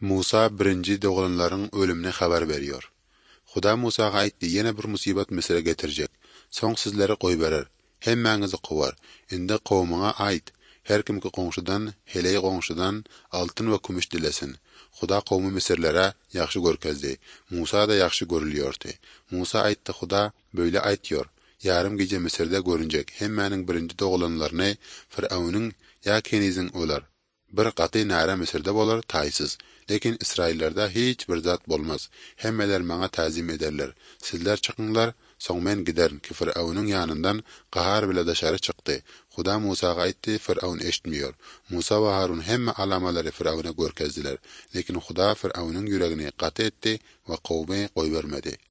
Musa birinci doğulanların ölümüne haber veriyor. Huda Musa'ga aytdı, yine bir musibet Mısır'a getirecek. Son sizleri koy verer. Hemmenizi kovar. Indi kavmuna ait. Her kim ki qoňşudan, heley qoňşudan altın ve kumuş dilesin. Huda kavmi Mısırlara yaxşı görkezdi. Musa da yaxşı görülüyordu. Musa aytdı, Huda böyle aytıyor. Yarım gece Mısır'da görünecek. Hemmenin birinci doğulanlarını Firavun'un ya kenizin olar. Bir qaty näre Mısırda bolar taýsız. Lekin İsraillarda hiç bir zat bolmaz. Hemmeler maňa täzim ederler. Sizler çıkınlar, soň men giderin ki Firavun'un yanından qahar bile daşary çykdy. Huda Musaga aýtdy, Firavun eşitmiyor. Musa we Harun hemme alamalary Firavun'a görkezdiler. Lekin Huda Firavun'un yüregini qaty etdi we kowmy goýbermedi.